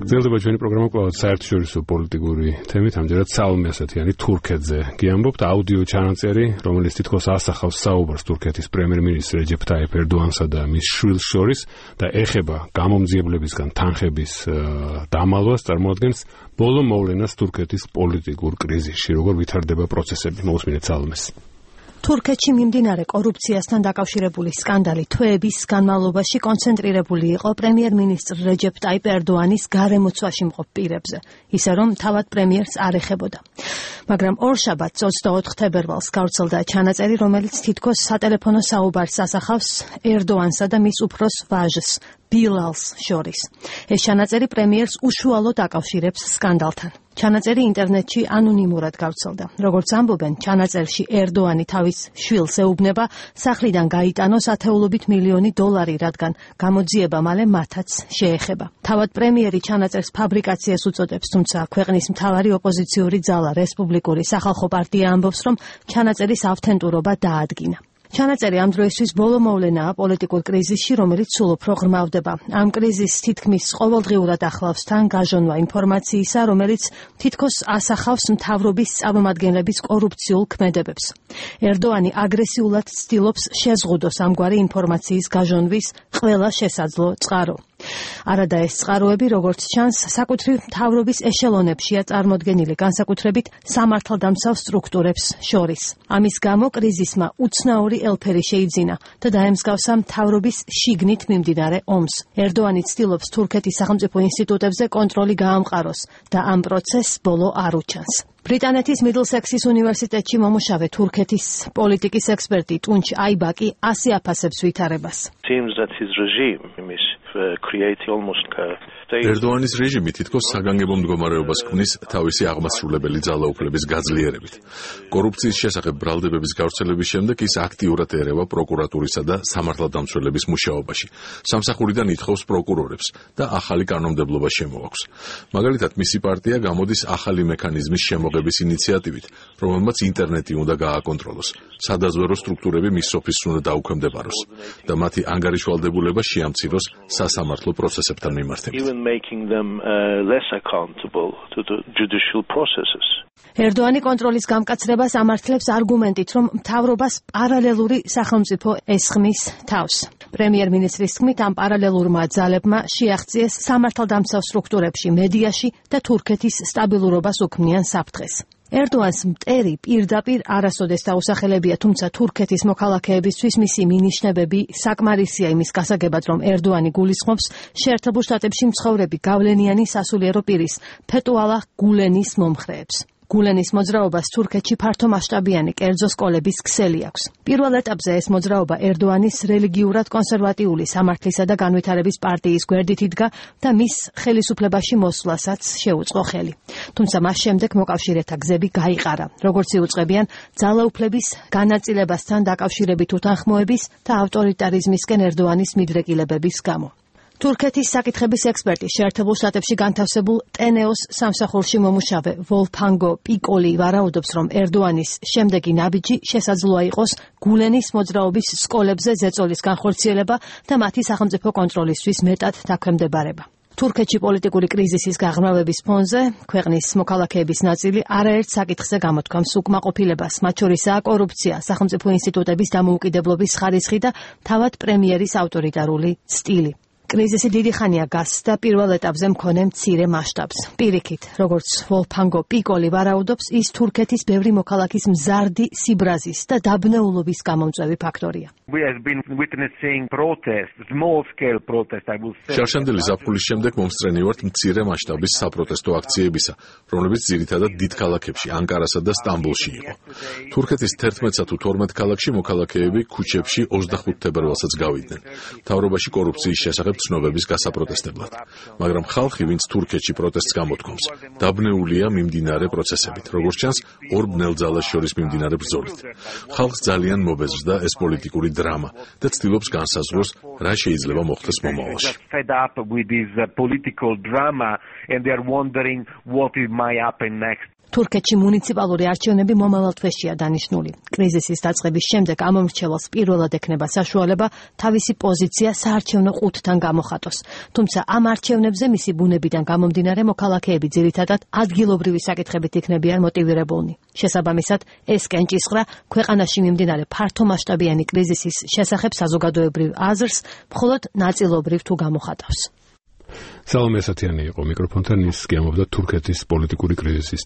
გრძელდება ჩვენი პროგრამა კვლავ საერთაშორისო პოლიტიკური თემით, ამჯერად სალომე ასათიანი თურქეთზე გიამბობთ. აუდიო ჩანაწერი, რომელიც თითქოს ასახავს საუბარს თურქეთის პრემიერ-მინისტრ რეჯეფ ტაიფ ერდოანსა და მის შვილს შორის და ეხება გამომძიებლებისგან თანხების დამალვას, წარმოადგენს ბოლო მოვლენას თურქეთის პოლიტიკურ კრიზისში. როგორ ვითარდება პროცესები? მოусმინეთ სალომეს. თურქეთში მიმდინარე კორუფციასთან დაკავშირებული სკანდალი თვეების განმავლობაში კონცენტრირებული იყო პრემიერ-მინისტრ რეჯეფ ტაიფ ერდოანის გარემოცვაში მყოფ პირებზე, ისე რომ თავად პრემიერს არ ეხებოდა. მაგრამ ორშაბათს 24 თებერვალს გავრცელდა ჩანაწერი, რომელიც თითქოს სატელეფონო საუბარს ასახავს ერდოანსა და მის უფროს ვაჟს, ბილალს შორის. ეს ჩანაწერი პრემიერს უშუალოდ აკავშირებს სკანდალთან. ჩანაწერი ინტერნეტში ანონიმურად გავრცელდა. როგორც ამბობენ, ჩანაწერში ერდოანი თავის შვილს ეუბნება სახლიდან გაიტანოს ათეულობით მილიონი დოლარი, რადგან გამოძიება მალე მათაც შეეხება. თავად პრემიერი ჩანაწერს ფაბრიკაციას უწოდებს, თუმცა ქვეყნის მთავარი ოპოზიციური ძალა რესპუბლიკური სახალხო პარტია ამბობს, რომ ჩანაწერის ავთენტურობა დაადგინა. ჩანაწერი ამ დროისთვის ბოლო მოვლენაა პოლიტიკურ კრიზისში, რომელიც სულ უფრო ღრმავდება. ამ კრიზისს თითქმის ყოველდღიურად ახლავს თან გაჟონვა ინფორმაციისა, რომელიც თითქოს ასახავს მთავრობის წარმომადგენლების კორუფციულ ქმედებებს. ერდოანი აგრესიულად ცდილობს შეზღუდოს ამგვარი ინფორმაციის გაჟონვის ყველა შესაძლო წყარო. არადა ეს წყაროები, როგორც ჩანს, საკუთრივ მთავრობის ეშელონებშია წარმოდგენილი, განსაკუთრებით სამართალდამცავ სტრუქტურებს შორის. ამის გამო კრიზისმა უცნაური ელფერი შეიძინა და დაემსგავსა მთავრობის შიგნით მიმდინარე ომს. ერდოანი ცდილობს თურქეთის სახელმწიფო ინსტიტუტებზე კონტროლი გაამყაროს და ამ პროცესს ბოლო არ უჩანს. ბრიტანეთის მიდლსექსის უნივერსიტეტში მომუშავე თურქეთის პოლიტიკის ექსპერტი ტუნჩ აიბაკი ასე აფასებს ვითარებას. ერდოანის რეჟიმი თითქოს საგანგებო მდგომარეობას ქმნის თავისი აღმასრულებელი ძალაუფლების გაძლიერებით. კორუფციის შესახებ ბრალდებების გავრცელების შემდეგ ის აქტიურად ერევა პროკურატურისა და სამართალდამცველების მუშაობაში. სამსახურიდან ითხოვს პროკურორებს და ახალი კანონმდებლობა შემოაქვს. მაგალითად, მისი პარტია გამოდის ახალი მექანიზმის შემოღების ინიციატივით, რომელმაც ინტერნეტი უნდა გააკონტროლოს, სადაზვერო სტრუქტურები მის ოფისს უნდა დაუქვემდებაროს და მათი ანგარიშვალდებულება შეამციროს სასამართლო პროცესებთან მიმართებით. ერდოანი კონტროლის გამკაცრებას ამართლებს არგუმენტით, რომ მთავრობას პარალელური სახელმწიფო ესხმის თავს. პრემიერ-მინისტრის თქმით, ამ პარალელურმა ძალებმა შეაღწიეს სამართალდამცავ სტრუქტურებში, მედიაში და თურქეთის სტაბილურობას უქმნიან საფრთხეს. ერდოანს მტერი პირდაპირ არასოდეს დაუსახელებია, თუმცა თურქეთის მოქალაქეებისთვის მისი მინიშნებები საკმარისია იმის გასაგებად, რომ ერდოანი გულისხმობს შეერთებულ შტატებში მცხოვრები გავლენიანი სასულიერო პირის ფეტუალაჰ გულენის მომხრეებს. გულენის მოძრაობას თურქეთში ფართომასშტაბიანი კერძო სკოლების ქსელი აქვს. პირველ ეტაპზე ეს მოძრაობა ერდოანის რელიგიურად კონსერვატიული სამართლისა და განვითარების პარტიის გვერდით იდგა და მის ხელისუფლებაში მოსვლასაც შეუწყო ხელი. თუმცა მას შემდეგ მოკავშირეთა გზები გაიყარა, როგორც იუწყებიან ძალაუფლების განაწილებასთან დაკავშირებით უთანხმოების და ავტორიტარიზმისკენ ერდოანის მიდრეკილებების გამო. თურქეთის საკითხების ექსპერტი შეერთებულ შტატებში განთავსებულ ტენეოს სამსახურში მომუშავე ვოლფანგო პიკოლი ვარაუდობს, რომ ერდოანის შემდეგი ნაბიჯი შესაძლოა იყოს გულენის მოძრაობის სკოლებზე ზეწოლის განხორციელება და მათი სახელმწიფო კონტროლისთვის მეტად დაქვემდებარება. თურქეთში პოლიტიკური კრიზისის გაღრმავების ფონზე ქვეყნის მოქალაქეების ნაწილი არაერთ საკითხზე გამოთქვამს უკმაყოფილებას, მათ შორისაა კორუფცია, სახელმწიფო ინსტიტუტების დამოუკიდებლობის ხარისხი და თავად პრემიერის ავტორიტარული სტილი. კრიზისი დიდი ხანია გასს და პირველ ეტაპზე მქონე მცირე მასშტაბს. პირიქით, როგორც ვოლფანგო პიკოლი ვარაუდობს, ის თურქეთის ბევრი მოქალაქის მზარდი სიბრაზის და დაბნეულობის გამომწვევი ფაქტორია. შარშანდელი ზაფხულის შემდეგ მომსწრენივართ მცირე მასშტაბის საპროტესტო აქციებისა, რომლებიც ძირითადად დიდ ქალაქებში, ანკარასა და სტამბოლში იყო. თურქეთის 11-სა თუ 12 ქალაქში მოქალაქეები ქუჩებში 25 თებერვალსაც გავიდნენ. მთავრობაში კორუფციის შესახებ ცნობების გასაპროტესტებლად. მაგრამ ხალხი, ვინც თურქეთში პროტესტს გამოთქვამს, დაბნეულია მიმდინარე პროცესებით, როგორც ჩანს, ორ ბნელძალას შორის მიმდინარე ბრძოლით. ხალხს ძალიან მობეზრდა ეს პოლიტიკური დრამა და ცდილობს განსაზღვროს, რა შეიძლება მოხდეს მომავალში. თურქეთში მუნიციპალური არჩევნები მომავალ თვეშია დანიშნული. კრიზისის დაწყების შემდეგ ამ მრჩეველს პირველად ექნება საშუალება თავისი პოზიცია საარჩევნო ყუთთან გამოხატოს. თუმცა ამ არჩევნებზე მისი ბუნებიდან გამომდინარე მოქალაქეები ძირითადად ადგილობრივი საკითხებით იქნებიან მოტივირებულნი. შესაბამისად, ეს კენჭისყრა ქვეყანაში მიმდინარე ფართომასშტაბიანი კრიზისის შესახებ საზოგადოებრივ აზრს მხოლოდ ნაწილობრივ თუ გამოხატავს. სალომე ასათიანი იყო მიკროფონთან, ის გიამობდა თურქეთის პოლიტიკური კრიზისის